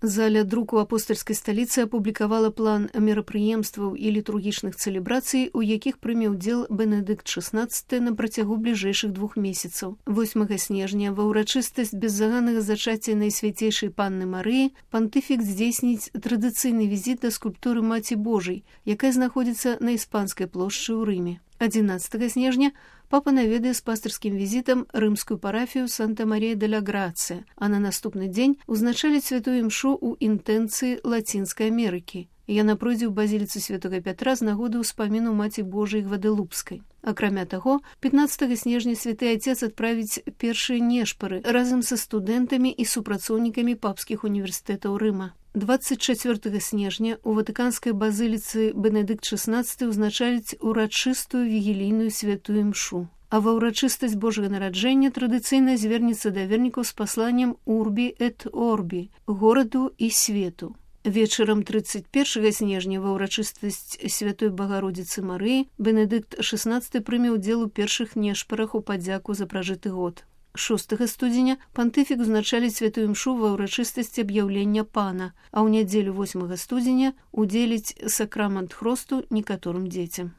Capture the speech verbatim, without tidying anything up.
Заля друку апостальскай сталіцы апублікавала план мерапрыемстваў і літургічных цэлебрацый, у якіх прыме ўдзел Бенедыкт шаснаццаты на працягу бліжэйшых двух месяцаў. восьмага снежня ва ўрачыстасць беззаганнага зачацця Найсвяцейшай Панны Марыі пантыфік здзейсніць традыцыйны візіт да скульптуры Маці Божай, якая знаходзіцца на Іспанскай плошчы ў Рыме. адзінаццатага снежня папа наведае з пастырскім візітам рымскую парафію Санта-Марія-де-ля-Грацыя, а на наступны дзень узначаліць святую імшу ў інтэнцыі Лацінскай Амерыкі. Яна пройдзе ў базіліцы святога Пятра з нагоды ўспаміну Маці Божай Гвадэлупскай. Акрамя таго, пятнаццатага снежня святы Отец адправіць першыя нешпары разам са студэнтамі і супрацоўнікамі папскіх універсітэтаў Рыма. дваццаць чацвёртага снежня у ватыканскай базыліцы Бенедыкт шаснаццаты ўзначаліць урачыстую вігілійную святую імшу. А ва ўрачыстасць Божага нараджэння традыцыйна звернецца да вернікаў з пасланнем «Урбі эт Орбі» – гораду і свету. Вечарам трыццаць першага снежня ва ўрачыстасць святой Багародзіцы Марыі Бенедыкт шаснаццаты прыме ўдзел у першых нешпарах у падзяку за пражыты год. шостага студзеня пантыфік узначаліць святую імшу ва ўрачыстасці аб'яўлення пана, а ў нядзелю восьмага студзеня удзеліць сакрамент хросту некаторым дзецям.